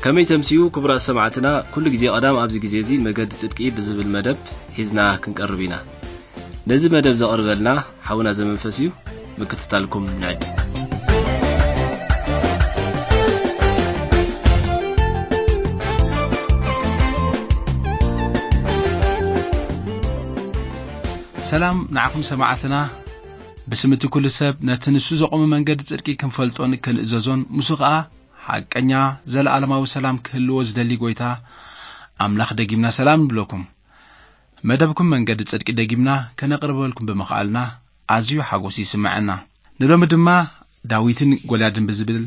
ከመይ ተምስዩ ክቡራት ሰማዕትና፣ ኩሉ ግዜ ቀዳም ኣብዚ ግዜ እዚ መገዲ ጽድቂ ብዝብል መደብ ሒዝና ክንቀርብ ኢና። ነዚ መደብ ዘቕርበልና ሓውና ዘመንፈስ እዩ። ምክትታልኩም ንዕድም። ሰላም ንዓኹም ሰማዕትና። ብስም እቲ ኩሉ ሰብ ነቲ ንሱ ዘቖመ መንገዲ ጽድቂ ክንፈልጦን ክንእዘዞን፣ ምስ ከኣ ሓቀኛ ዘለኣለማዊ ሰላም ክህልዎ ዝደሊ ጎይታ ኣምላኽ ደጊምና ሰላም ንብለኩም። መደብኩም መንገዲ ጽድቂ ደጊምና ከነቕርበልኩም ብምኽኣልና ኣዝዩ ሓጎስ ይስምዐና። ንሎሚ ድማ ዳዊትን ጎልያድን ብዝብል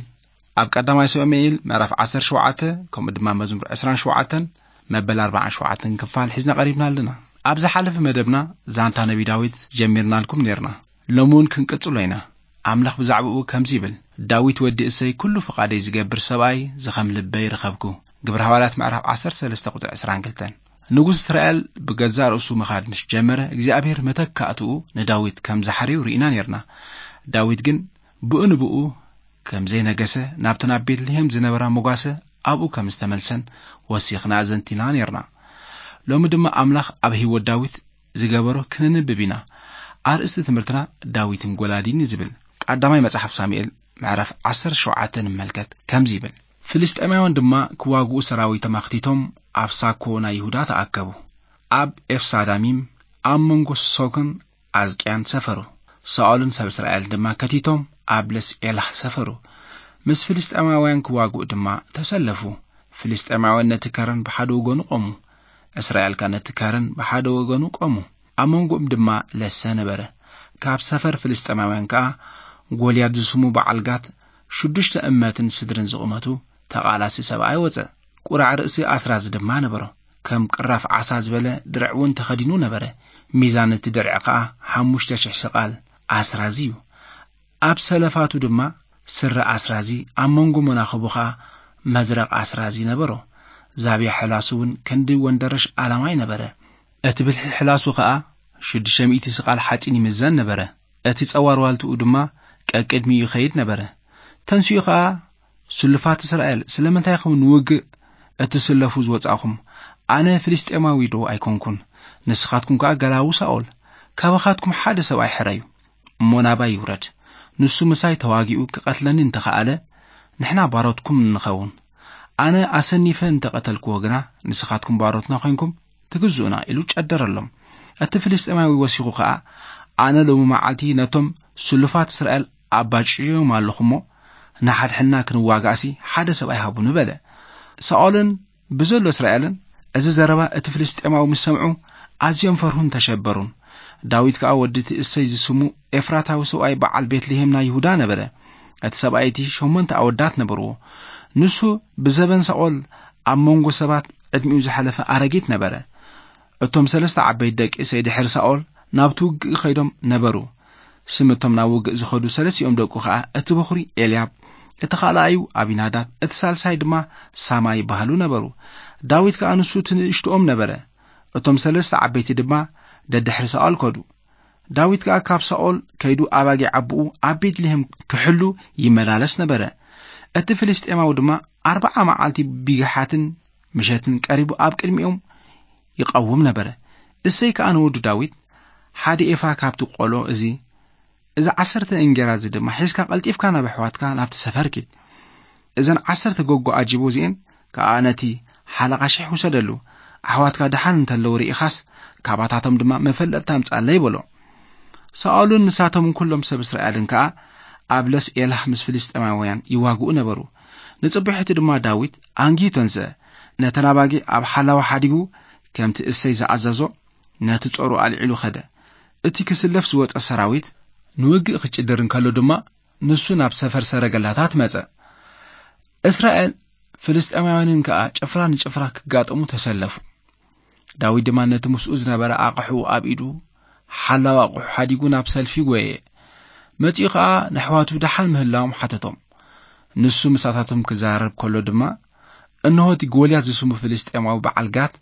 ኣብ ቀዳማይ ሳሙኤል ምዕራፍ ዓሰርተ ሸውዓተ፣ ከምኡ ድማ መዝሙር ዕስራን ሸውዓተን መበል ኣርባዓን ሸውዓተን ክፋል ሒዝና ቀሪብና ኣለና። ኣብ ዝሓለፈ መደብና ዛንታ ነቢ ዳዊት ጀሚርናልኩም ኔርና። ሎሚ እውን ክንቅጽሎ ኢና። ኣምላኽ ብዛዕባኡ ከምዚ ይብል፣ "ዳዊት ወዲ እሰይ ኩሉ ፍቓደይ ዝገብር ሰብኣይ ዝኸም ልበይ ረኸብኩ።" ግብረ ሃዋርያት ምዕራፍ ዓሰርተ ሰለስተ ቁጽሪ ዕስራን ክልተን። ንጉስ እስራኤል ብገዛእ ርእሱ ምኻድ ምስ ጀመረ፣ እግዚኣብሔር መተካእትኡ ንዳዊት ከም ዝሓረዩ ርኢና ኔርና። ዳዊት ግን ብኡ ንብኡ ከም ዘይነገሰ፣ ናብተን ኣብ ቤትልሄም ዝነበራ መጓሰ ኣብኡ ከም ዝተመልሰን ወሲኽና ኣዘንቲና ኔርና። ሎሚ ድማ ኣምላኽ ኣብ ህይወት ዳዊት ዝገበሮ ክነንብብ ኢና። ኣርእስቲ ትምህርትና ዳዊትን ጎላድን እዩ ዝብል። ቀዳማይ መጽሓፍ ሳሙኤል ምዕራፍ ዓሰርተ ሸውዓተ ንመልከት። ከምዚ ይብል፣ ፍልስጤማውያን ድማ ክዋግኡ ሰራዊቶም ኣኽቲቶም ኣብ ሳኮ ናይ ይሁዳ ተኣከቡ። ኣብ ኤፍሳዳሚም ኣብ መንጎ ሶክን ኣዝቅያን ሰፈሩ። ሳኦልን ሰብ እስራኤልን ድማ ከቲቶም ኣብ ለስ ኤላህ ሰፈሩ። ምስ ፍልስጤማውያን ክዋግኡ ድማ ተሰለፉ። ፍልስጤማውያን ነቲ ከረን ብሓደ ወገኑ ቆሙ፣ እስራኤል ከኣ ነቲ ከረን ብሓደ ወገኑ ቆሙ። ኣብ መንጎኦም ድማ ለሰ ነበረ። ካብ ሰፈር ፍልስጤማውያን ከኣ ጎልያድ ዝስሙ በዓል ጋት ሽዱሽተ እመትን ስድርን ዝቑመቱ ተቓላሲ ሰብኣይ ወጸ። ቁራዕ ርእሲ ኣስራዚ ድማ ነበሮ። ከም ቅራፍ ዓሳ ዝበለ ድርዕ እውን ተኸዲኑ ነበረ። ሚዛን እቲ ድርዕ ከኣ ሓሙሽተ ሽሕ ሰቓል ኣስራዚ እዩ። ኣብ ሰለፋቱ ድማ ስረ ኣስራዚ፣ ኣብ መንጎ መናኽቡ ኸኣ መዝረቕ ኣስራዚ ነበሮ። ዛብያ ሕላሱ እውን ክንዲ ወንደረሽ ኣላማይ ነበረ። እቲ ብልሒ ሕላሱ ኸኣ ሽዱሽተ ሚእቲ ስቓል ሓጺን ይምዘን ነበረ። እቲ ጸዋር ዋልትኡ ድማ ቀቅድሚኡ ይኸይድ ነበረ። ተንሲኡ ኸኣ፣ "ስሉፋት እስራኤል፣ ስለምንታይ ኢኹም ንውግእ እትስለፉ ዝወጻእኹም? ኣነ ፍልስጤማዊ ዶ ኣይኮንኩን? ንስኻትኩም ከኣ ገላዉ ሳኦል፣ ካባኻትኩም ሓደ ሰብኣይ ሕረዩ፣ እሞ ናባይ ይውረድ። ንሱ ምሳይ ተዋጊኡ ክቐትለኒ እንተኸኣለ፣ ንሕና ባሮትኩም ንኸውን። ኣነ ኣሰኒፈ እንተቐተልክዎ ግና፣ ንስኻትኩም ባሮትና ኮይንኩም ትግዝኡና" ኢሉ ጨደረሎም። እቲ ፍልስጤማዊ ወሲኹ ኸኣ፣ "ኣነ ሎሚ መዓልቲ ነቶም ስሉፋት እስራኤል ኣባጭዮም ኣለኹ እሞ፣ ንሓድሕድና ክንዋጋእሲ ሓደ ሰብኣይ ሃቡኒ" በለ። ሳኦልን ብዘሎ እስራኤልን እዚ ዘረባ እቲ ፍልስጤማዊ ምስ ሰምዑ፣ ኣዝዮም ፈርሁን ተሸበሩን። ዳዊት ከኣ ወዲ እቲ እሰይ ዝስሙ ኤፍራታዊ ሰብኣይ በዓል ቤትልሄም ናይ ይሁዳ ነበረ። እቲ ሰብኣይ እቲ ሸሞንተ ኣወዳት ነበርዎ። ንሱ ብዘበን ሳኦል ኣብ መንጎ ሰባት ዕድሚኡ ዝሓለፈ ኣረጊት ነበረ። እቶም ሰለስተ ዓበይቲ ደቂ እሰይ ድሕሪ ሳኦል ናብቲ ውግእ ከይዶም ነበሩ። ስም እቶም ናብ ውግእ ዝኸዱ ሰለስቲኦም ደቁ ኸኣ፣ እቲ በኹሪ ኤልያብ፣ እቲ ካልኣዩ ኣቢናዳብ፣ እቲ ሳልሳይ ድማ ሳማ ይበሃሉ ነበሩ። ዳዊት ከኣ ንሱ እቲ ንእሽቶኦም ነበረ። እቶም ሰለስተ ዓበይቲ ድማ ደድሕሪ ሳኦል ከዱ። ዳዊት ከኣ ካብ ሳኦል ከይዱ ኣባጊዕ ኣቦኡ ኣብ ቤትልሄም ክሕሉ ይመላለስ ነበረ። እቲ ፍልስጤማዊ ድማ ኣርብዓ መዓልቲ ቢግሓትን ምሸትን ቀሪቡ ኣብ ቅድሚኦም ይቐውም ነበረ። እሰይ ከኣ ንወዱ ዳዊት፣ "ሓደ ኤፋ ካብቲ ቆሎ እዚ፣ እዚ ዓሰርተ እንጌራ እዚ ድማ ሒዝካ ቀልጢፍካ ናብ ኣሕዋትካ ናብቲ ሰፈር ኪድ። እዘን ዓሰርተ ጎጎ ኣጅቦ እዚኤን ከኣ ነቲ ሓለቓ ሽሕ ውሰደሉ። ኣሕዋትካ ደሓን እንተለዉ ርኢኻስ፣ ካባታቶም ድማ መፈለጥታ ኣምጽኣለይ" በሎ። ሳኦልን ንሳቶምን ኩሎም ሰብ እስራኤልን ከኣ ኣብ ለስ ኤላህ ምስ ፍልስጤማውያን ይዋግኡ ነበሩ። ንጽቡሒቲ ድማ ዳዊት ኣንጊሁ ተንስአ። ነተን ኣባጊዕ ኣብ ሓላዋ ሓዲጉ፣ ከምቲ እሰይ ዝኣዘዞ፣ ነቲ ጾሩ ኣልዒሉ ኸደ። እቲ ክስለፍ ዝወጸ ሰራዊት ንውግእ ክጭድር እንከሎ ድማ፣ ንሱ ናብ ሰፈር ሰረገላታት መጸ። እስራኤል ፍልስጤማውያንን ከኣ ጭፍራ ንጭፍራ ክጋጠሙ ተሰለፉ። ዳዊት ድማ ነቲ ምስኡ ዝነበረ ኣቕሑ ኣብ ኢዱ፣ ሓላው ኣቕሑ ሓዲጉ ናብ ሰልፊ ጐየ። መጺኡ ከኣ ነሕዋቱ ደሓን ምህላዎም ሓተቶም። ንሱ ምሳታቶም ክዛረብ ከሎ ድማ፣ እንሆ እቲ ጎልያት ዝስሙ ፍልስጤማዊ በዓል ጋት፣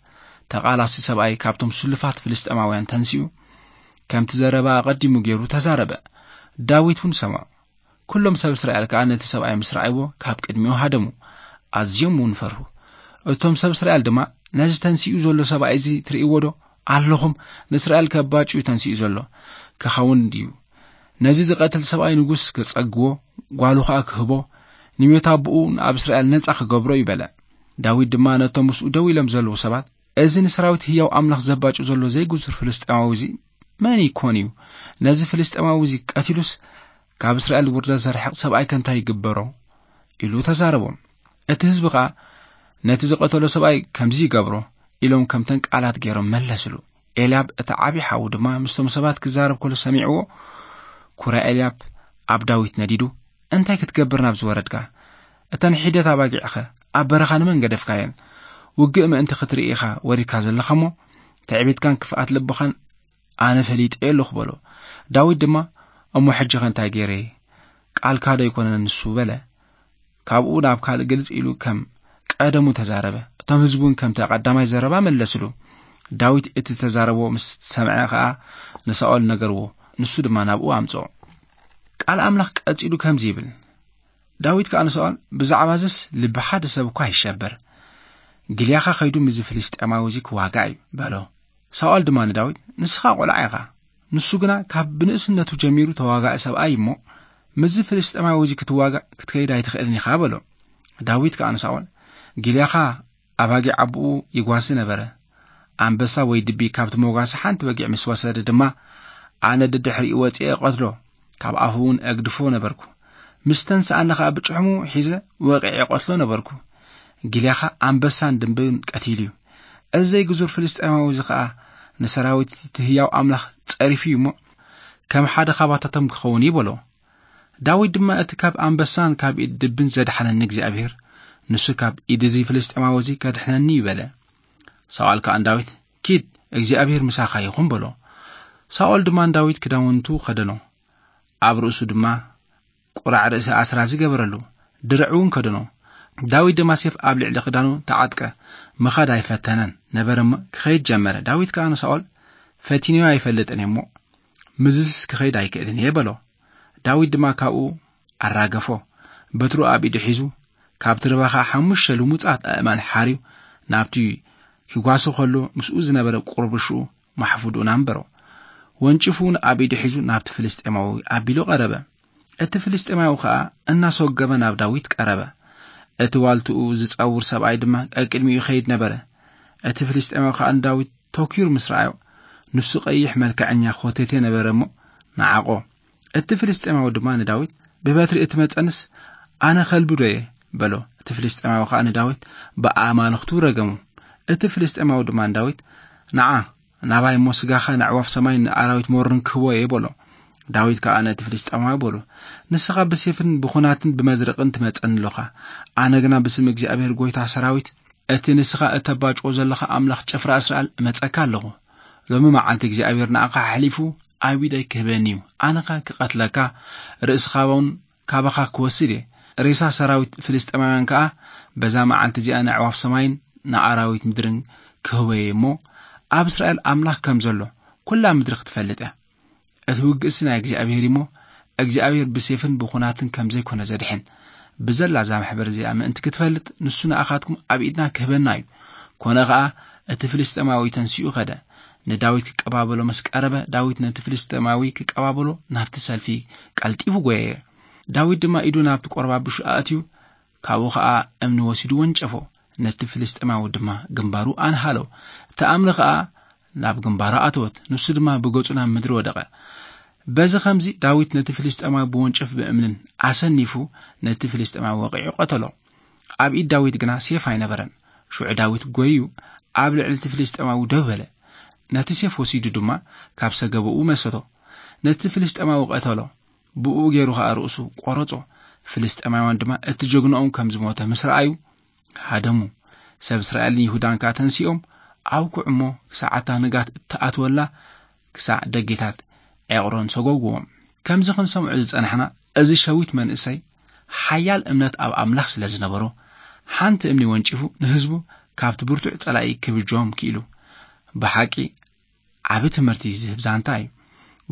ተቓላሲ ሰብኣይ ካብቶም ስሉፋት ፍልስጤማውያን ተንሲኡ፣ ከምቲ ዘረባ ኣቐዲሙ ገይሩ ተዛረበ። ዳዊት እውን ሰምዖ። ኩሎም ሰብ እስራኤል ከኣ ነቲ ሰብኣይ ምስ ረኣይዎ፣ ካብ ቅድሚኡ ሃደሙ። ኣዝዮም እውን ፈርሁ። እቶም ሰብ እስራኤል ድማ፣ "ነዚ ተንሲኡ ዘሎ ሰብኣይ እዚ ትርእይዎ ዶ? ኣለኹም፣ ንእስራኤል ከባጭ እዩ ተንሲኡ ዘሎ። ክኸውን ድዩ? ነዚ ዝቐትል ሰብኣይ ንጉስ ክጸግዎ፣ ጓሉ ኸኣ ክህቦ፣ ንሜት ኣቦኡ ንኣብ እስራኤል ነጻ ክገብሮ እዩ" በለ። ዳዊት ድማ ነቶም ምስኡ ደው ኢሎም ዘለዉ ሰባት፣ "እዚ ንሰራዊት ህያው ኣምላኽ ዘባጭ ዘሎ ዘይግዙር ፍልስጤማዊ እዚ መን ይኮን እዩ? ነዚ ፍልስጤማዊ እዚ ቀቲሉስ ካብ እስራኤል ውርደት ዘርሕቕ ሰብኣይ ከ እንታይ ይግበሮ?" ኢሉ ተዛረቦም። እቲ ህዝቢ ኸኣ፣ "ነቲ ዝቐተሎ ሰብኣይ ከምዚ ይገብሮ" ኢሎም ከምተን ቃላት ገይሮም መለስሉ። ኤልያብ እቲ ዓቢ ሓዉ ድማ ምስቶም ሰባት ክዛረብ ከሎ ሰሚዕዎ፣ ኩራ ኤልያብ ኣብ ዳዊት ነዲዱ፣ "እንታይ ክትገብር ናብ ዝወረድካ? እተን ሒደት ኣባጊዕኸ ኣብ በረኻ ንመን ገደፍካየን? ውግእ ምእንቲ ክትርኢ ኢኻ ወሪድካ ዘለኻ እሞ፣ ትዕቢትካን ክፍኣት ልብኻን ኣነ ፈሊጠ ኣለኹ" በሎ። ዳዊት ድማ፣ "እሞ ሕጂ ኸ እንታይ ገይረ? ቃልካ ዶ ኣይኮነን ንሱ?" በለ። ካብኡ ናብ ካልእ ግልጽ ኢሉ ከም ቀደሙ ተዛረበ። እቶም ህዝቢ እውን ከምቲ ቀዳማይ ዘረባ መለስሉ። ዳዊት እቲ ዝተዛረቦ ምስ ሰምዐ ኸኣ ንሳኦል ነገርዎ፣ ንሱ ድማ ናብኡ ኣምጽኦ። ቃል ኣምላኽ ቀጺሉ ከምዚ ይብል፣ ዳዊት ከኣ ንሳኦል፣ "ብዛዕባ እዝስ ልቢ ሓደ ሰብ እኳ ይሸበር። ግልያኻ ኸይዱ ምስዚ ፍልስጤማዊ እዚ ክዋጋእ እዩ" በሎ። ሳኦል ድማ ንዳዊት፣ "ንስኻ ቆልዓ ኢኻ፣ ንሱ ግና ካብ ብንእስነቱ ጀሚሩ ተዋጋኢ ሰብኣይ እሞ፣ ምስዚ ፍልስጤማዊ እዚ ክትዋጋእ ክትከይድ ኣይትኽእልን ኢኻ" በሎ። ዳዊት ከኣ ንሳኦል፣ "ግልያኻ ኣባጊዕ ኣቦኡ ይጓሲ ነበረ። ኣንበሳ ወይ ድቢ ካብቲ መጓሲ ሓንቲ በጊዕ ምስ ወሰደ ድማ፣ ኣነ ደድሕሪኡ ወጺኤ እቐትሎ። ካብ ኣፉ እውን እግድፎ ነበርኩ። ምስ ተንስኣኒ ኸኣ ብጭሕሙ ሒዘ ወቒዐ እቐትሎ ነበርኩ። ግልያኻ ኣንበሳን ድብን ቀቲሉ እዩ። እዚ ዘይግዙር ፍልስጤማዊ እዚ ኸኣ ንሰራዊት እቲ ህያው ኣምላኽ ጸሪፉ እዩ እሞ፣ ከም ሓደ ኻባታቶም ክኸውን እዩ" በሎ። ዳዊት ድማ፣ "እቲ ካብ ኣንበሳን ካብ ኢድ ድብን ዘድሓነኒ እግዚኣብሄር፣ ንሱ ካብ ኢድ እዚ ፍልስጤማዊ እዚ ከድሕነኒ እዩ" በለ። ሳኦል ከኣ ንዳዊት፣ "ኪድ፣ እግዚኣብሄር ምሳኻ ይኹን" በሎ። ሳኦል ድማ ንዳዊት ክዳውንቱ ኸደኖ፣ ኣብ ርእሱ ድማ ቁራዕ ርእሲ ኣስራዚ ገበረሉ፣ ድርዕ እውን ከደኖ። ዳዊት ድማ ሴፍ ኣብ ልዕሊ ክዳኑ ተዓጥቀ፣ ምኻድ ኣይፈተነን ነበረ እሞ ክኸይድ ጀመረ። ዳዊት ከኣ ንሳኦል፣ "ፈቲነዮ ኣይፈልጥን እየ እሞ፣ ምዝስ ክኸይድ ኣይክእልን እየ" በሎ። ዳዊት ድማ ካብኡ ኣራገፎ፣ በትሩ ኣብ ኢዱ ሒዙ፣ ካብቲ ርባ ኸኣ ሓሙሽተ ልሙጻት ኣእማን ሓርዩ፣ ናብቲ ክጓሲ ኸሎ ምስኡ ዝነበረ ቁርብሽኡ ማሕፉድኡን ኣንበሮ። ወንጭፉ እውን ኣብ ኢዱ ሒዙ ናብቲ ፍልስጤማዊ ኣቢሉ ቀረበ። እቲ ፍልስጤማዊ ኸኣ እናሰጎመ ናብ ዳዊት ቀረበ። እቲ ዋልትኡ ዝጸውር ሰብኣይ ድማ ቀቅድሚኡ ይኸይድ ነበረ። እቲ ፍልስጤማዊ ኸኣ ንዳዊት ተኲሩ ምስ ረኣዮ፣ ንሱ ቀይሕ መልክዐኛ ኾተቴ ነበረ እሞ ነዓቖ። እቲ ፍልስጤማዊ ድማ ንዳዊት፣ "ብበትሪ እትመጸንስ ኣነ ከልቢ ዶ እየ?" በሎ። እቲ ፍልስጤማዊ ኸኣ ንዳዊት ብኣማልኽቱ ረገሙ። እቲ ፍልስጤማዊ ድማ ንዳዊት፣ "ንዓ፣ ናባይ እሞ ስጋኻ ንኣዕዋፍ ሰማይ ንኣራዊት መሮን ክህቦ እየ" በሎ። ዳዊት ከኣ ነቲ ፍልስጤማዊ በሎ፣ "ንስኻ ብሴፍን ብኹናትን ብመዝረቕን ትመጸኒ ኣሎኻ፣ ኣነ ግና ብስም እግዚኣብሔር ጐይታ ሰራዊት፣ እቲ ንስኻ እተባጭዎ ዘለኻ ኣምላኽ ጭፍራ እስራኤል እመጸካ ኣለኹ። ሎሚ መዓልቲ እግዚኣብሔር ንኣኻ ኣሕሊፉ ኣብ ኢደይ ክህበኒ እዩ። ኣነኻ ክቐትለካ፣ ርእስኻ እውን ካባኻ ክወስድ እየ። ሬሳ ሰራዊት ፍልስጤማውያን ከኣ በዛ መዓልቲ እዚኣ ንኣዕዋፍ ሰማይን ንኣራዊት ምድርን ክህቦ እየ እሞ፣ ኣብ እስራኤል ኣምላኽ ከም ዘሎ ኵላ ምድሪ ክትፈልጥ እያ። እቲ ውግእሲ ናይ እግዚኣብሔር እዩ እሞ፣ እግዚኣብሔር ብሴፍን ብኹናትን ከም ዘይኮነ ዘድሕን፣ ብዘላ እዛ ማሕበር እዚኣ ምእንቲ ክትፈልጥ፣ ንሱ ንኣኻትኩም ኣብ ኢድና ክህበና እዩ።" ኮነ ኸኣ፣ እቲ ፍልስጤማዊ ተንሲኡ ኸደ። ንዳዊት ክቀባበሎ ምስ ቀረበ፣ ዳዊት ነቲ ፍልስጤማዊ ክቀባበሎ ናብቲ ሰልፊ ቀልጢፉ ጐየየ። ዳዊት ድማ ኢዱ ናብቲ ቆርባብሹ ኣእትዩ፣ ካብኡ ኸኣ እምኒ ወሲዱ ወንጨፎ። ነቲ ፍልስጤማዊ ድማ ግንባሩ ኣንሃሎ። እቲ እምኒ ኸኣ ናብ ግንባሩ ኣተወት፣ ንሱ ድማ ብገጹ ናብ ምድሪ ወደቐ። በዚ ኸምዚ ዳዊት ነቲ ፍልስጤማዊ ብወንጭፍ ብእምንን ኣሰኒፉ፣ ነቲ ፍልስጤማዊ ወቒዑ ቀተሎ። ኣብ ኢድ ዳዊት ግና ሴፍ ኣይነበረን። ሽዑ ዳዊት ጐይዩ ኣብ ልዕሊ እቲ ፍልስጤማዊ ደው በለ። ነቲ ሴፍ ወሲዱ ድማ ካብ ሰገበኡ መሰቶ። ነቲ ፍልስጤማዊ ቀተሎ። ብኡ ገይሩ ኸኣ ርእሱ ቈረጾ። ፍልስጤማውያን ድማ እቲ ጀግንኦም ከም ዝሞተ ምስ ረኣዩ፣ ሃደሙ። ሰብ እስራኤልን ይሁዳን ከኣ ተንሲኦም፣ ኣውግዑ እሞ ክሳዕ እታ ንጋት እትኣትወላ ክሳዕ ደጌታት ዔቕሮን ሰጎግዎም። ከምዚ ክንሰምዖ ዝጸናሕና፣ እዚ ሸዊት መንእሰይ ሓያል እምነት ኣብ ኣምላኽ ስለ ዝነበሮ፣ ሓንቲ እምኒ ወንጪፉ ንህዝቡ ካብቲ ብርቱዕ ጸላኢ ክብጅዎም ክኢሉ። ብሓቂ ዓቢ ትምህርቲ ዝህብ ዛንታ እዩ።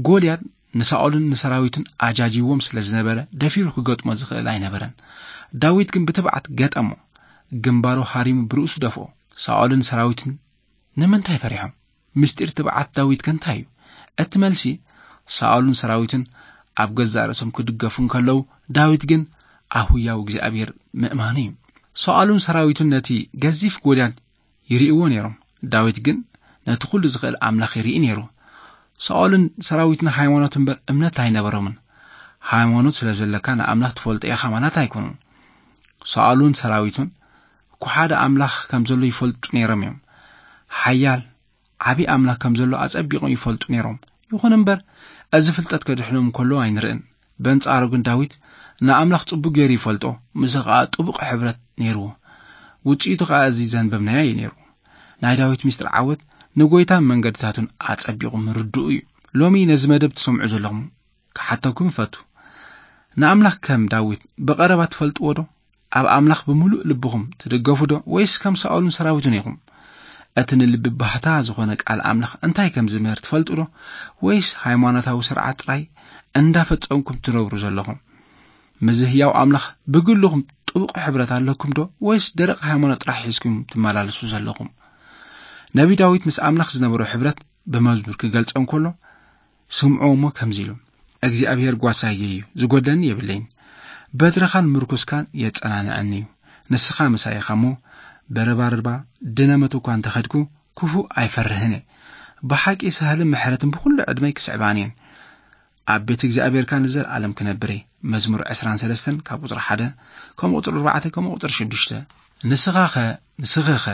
ጎልያድ ንሳኦልን ንሰራዊቱን ኣጃጂዎም ስለ ዝነበረ፣ ደፊሩ ክገጥሞ ዝኽእል ኣይነበረን። ዳዊት ግን ብትብዓት ገጠሞ። ግንባሩ ሃሪሙ ብርእሱ ደፍኦ። ሳኦልን ሰራዊቱን ንምንታይ ፈሪሖም? ምስጢር ትብዓት ዳዊት ከ እንታይ እዩ? እቲ መልሲ፣ ሳኦልን ሰራዊቱን ኣብ ገዛእ ርእሶም ክድገፉ እንከለዉ፣ ዳዊት ግን ኣብ ህያው እግዚኣብሔር ምእማኑ እዩ። ሳኦልን ሰራዊቱን ነቲ ገዚፍ ጎልያድ ይርእይዎ ነይሮም። ዳዊት ግን ነቲ ኩሉ ዝኽእል ኣምላኽ ይርኢ ነይሩ። ሳኦልን ሰራዊቱን ሃይማኖት እምበር እምነት ኣይነበሮምን። ሃይማኖት ስለ ዘለካ ንኣምላኽ ትፈልጦ ኢኻ ማለት ኣይኮኑን። ሳኦልን ሰራዊቱን እኮ ሓደ ኣምላኽ ከም ዘሎ ይፈልጡ ነይሮም እዮም። ሓያል ዓቢ ኣምላኽ ከም ዘሎ ኣጸቢቖም ይፈልጡ ነይሮም። ይኹን እምበር፣ እዚ ፍልጠት ከድሕኖም ከሎ ኣይንርእን። በንጻሩ ግን ዳዊት ንኣምላኽ ጽቡቕ ገይሩ ይፈልጦ፣ ምስኡ ኸኣ ጥቡቕ ሕብረት ነይርዎ። ውጽኢቱ ኸኣ እዚ ዘንበብናዮ እዩ ነይሩ። ናይ ዳዊት ምስጢር ዓወት ንጎይታን መንገድታቱን ኣጸቢቑ ምርድኡ እዩ። ሎሚ ነዚ መደብ ትሰምዑ ዘለኹም ክሓተኩም እፈቱ። ንኣምላኽ ከም ዳዊት ብቐረባ ትፈልጥዎ ዶ? ኣብ ኣምላኽ ብምሉእ ልብኹም ትድገፉ ዶ? ወይስ ከም ሳኦልን ሰራዊቱን ኢኹም? እቲ ንልቢ ባህታ ዝኾነ ቃል ኣምላኽ እንታይ ከም ዝምህር ትፈልጡ ዶ? ወይስ ሃይማኖታዊ ስርዓት ጥራይ እንዳፈጸምኩም ትነብሩ ዘለኹም? ምስ ህያው ኣምላኽ ብግልኹም ጥቡቕ ሕብረት ኣለኩም ዶ? ወይስ ደረቕ ሃይማኖት ጥራሕ ሒዝኩም ትመላለሱ ዘለኹም? ነቢ ዳዊት ምስ ኣምላኽ ዝነበሮ ሕብረት ብመዝሙር ክገልጾ እንከሎ፣ ስምዖ እሞ ከምዚ ኢሉ፣ "እግዚኣብሔር ጓሳየ እዩ፣ ዝጎድለኒ የብለይን። በትርኻን ምርኩስካን የጸናንዐኒ እዩ። ንስኻ ምሳይ ኢኻ እሞ፣ ብረባርባ ድነ መት እኳ እንተኸድኩ፣ ክፉእ ኣይፈርህን እየ። ብሓቂ ሳህልን ምሕረትን ብኹሉ ዕድመይ ክስዕባኒ እየን። ኣብ ቤት እግዚኣብሔር ከኣ ንዘለኣለም ክነብር እየ።" መዝሙር ዕስራን ሰለስተን ካብ ቁጽሪ ሓደ፣ ከምኡ ቁጽሪ ኣርባዕተ፣ ከምኡ ቁጽሪ ሽዱሽተ። ንስኻኸ፣ ንስኽኸ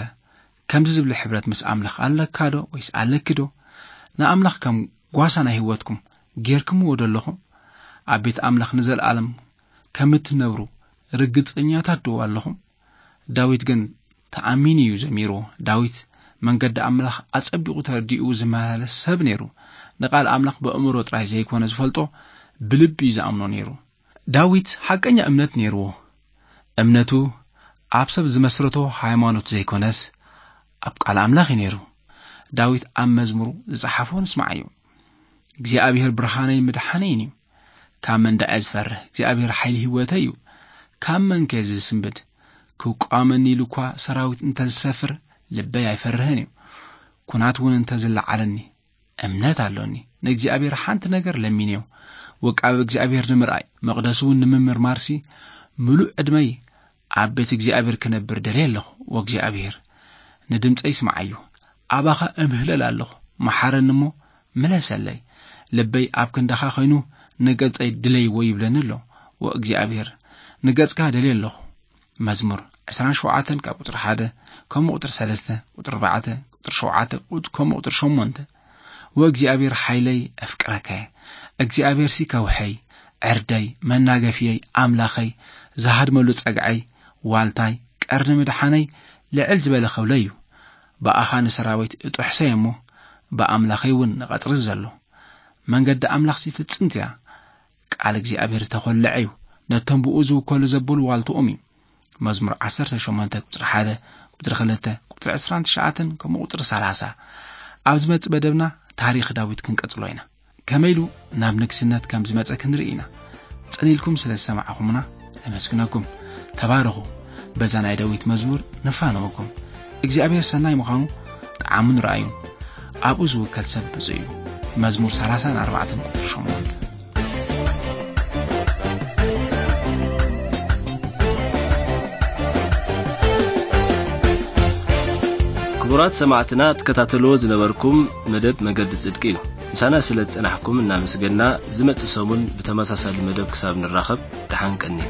ከምዚ ዝብል ሕብረት ምስ ኣምላኽ ኣለካ ዶ ወይስ ኣለኪ ዶ? ንኣምላኽ ከም ጓሳ ናይ ህይወትኩም ጌርክምዎ ዶ ኣለኹም? ኣብ ቤት ኣምላኽ ንዘለኣለም ከም እትነብሩ ርግጸኛታት ዶ ኣለኹም? ዳዊት ግን ተኣሚኑ እዩ ዘሚርዎ። ዳዊት መንገዲ ኣምላኽ ኣጸቢቑ ተረዲኡ ዝመላለስ ሰብ ነይሩ። ንቓል ኣምላኽ ብኣእምሮ ጥራይ ዘይኮነ ዝፈልጦ፣ ብልቢ እዩ ዝኣምኖ ነይሩ። ዳዊት ሓቀኛ እምነት ነይርዎ። እምነቱ ኣብ ሰብ ዝመስረቶ ሃይማኖት ዘይኮነስ፣ ኣብ ቃል ኣምላኽ እዩ ነይሩ። ዳዊት ኣብ መዝሙሩ ዝጸሓፎ ንስማዓዮ። "እግዚኣብሔር ብርሃነይን ምድሓነይን እዩ። ካብ መን ደኣ እየ ዝፈርህ? እግዚኣብሔር ሓይሊ ህይወተይ እዩ። ካብ መን ከ ዝስንብድ? ክቋመኒ ኢሉ እኳ ሰራዊት እንተ ዝሰፍር፣ ልበይ ኣይፈርህን እዩ። ኲናት እውን እንተ ዝለዓለኒ፣ እምነት ኣሎኒ። ንእግዚኣብሔር ሓንቲ ነገር ለሚንዮ፣ ውቃበ እግዚኣብሔር ንምርኣይ፣ መቕደሱ እውን ንምምርማርሲ፣ ምሉእ ዕድመይ ኣብ ቤት እግዚኣብሔር ክነብር ደልየ ኣለኹ። ወእግዚኣብሔር፣ ንድምፀይ ስምዓዮ። ኣባኻ እምህለል ኣለኹ። መሓረኒ እሞ ምለሰለይ። ልበይ ኣብ ክንዳኻ ኾይኑ፣ ንገጸይ ድለይዎ ይብለኒ ኣሎ። ወእግዚኣብሔር፣ ንገጽካ ደልየ ኣለኹ። መዝሙር ዕስራን ሸውዓተን ካብ ቁጽሪ ሓደ፣ ከምኡ ቁጽሪ ሰለስተ፣ ቁጽሪ ኣርባዕተ፣ ቁጽሪ ሸውዓተ፣ ቁጽ-፣ ከምኡ ቁጽሪ ሸሞንተ። "ወእግዚኣብሔር ሓይለይ፣ ኣፍቅረከ። እግዚኣብሔርሲ ከውሐይ፣ ዕርደይ፣ መናገፍየይ፣ ኣምላኸይ፣ ዝሃድመሉ ጸግዐይ፣ ዋልታይ፣ ቀርኒ ምድሓነይ፣ ልዕል ዝበለ ኸብለይ እዩ። ብኣኻ ንሰራዊት እጥሕሰ እሞ፣ ብኣምላኸይ እውን ንቐጽሪ ዘሎ። መንገዲ ኣምላኽሲ ፍጽምቲ እያ። ቃል እግዚኣብሔር ተኾለዐ እዩ። ነቶም ብኡ ዝውከሉ ዘብሉ ዋልትኦም እዩ።" መዝሙር ዓሰርተ ሸሞንተ ቁጽሪ ሓደ፣ ቁጽሪ ክልተ፣ ቁጽሪ ዕስራን ትሽዓተን፣ ከምኡ ቁጽሪ ሰላሳ። ኣብ ዝመጽእ መደብና ታሪኽ ዳዊት ክንቀጽሎ ኢና። ከመይ ኢሉ ናብ ንግስነት ከም ዝመጸ ክንርኢ ኢና። ጽን ኢልኩም ስለ ዝሰማዕኹምና ነመስግነኩም። ተባረኹ። በዛ ናይ ዳዊት መዝሙር ንፋነወኩም። እግዚኣብሔር ሰናይ ምዃኑ ጣዕሙን ረኣዩን። ኣብኡ ዝውከል ሰብ ብፁዕ እዩ። መዝሙር ሰላሳን ኣርባዕተን ቁጽሪ ሸሞንተ። ክቡራት ሰማዕትና፣ ትከታተልዎ ዝነበርኩም መደብ መገዲ ጽድቂ እዩ። ምሳና ስለ ዝጸናሕኩም እናመስገና፣ ዝመጽእ ሰሙን ብተመሳሳሊ መደብ ክሳብ ንራኸብ፣ ደሓን ቀንዩ።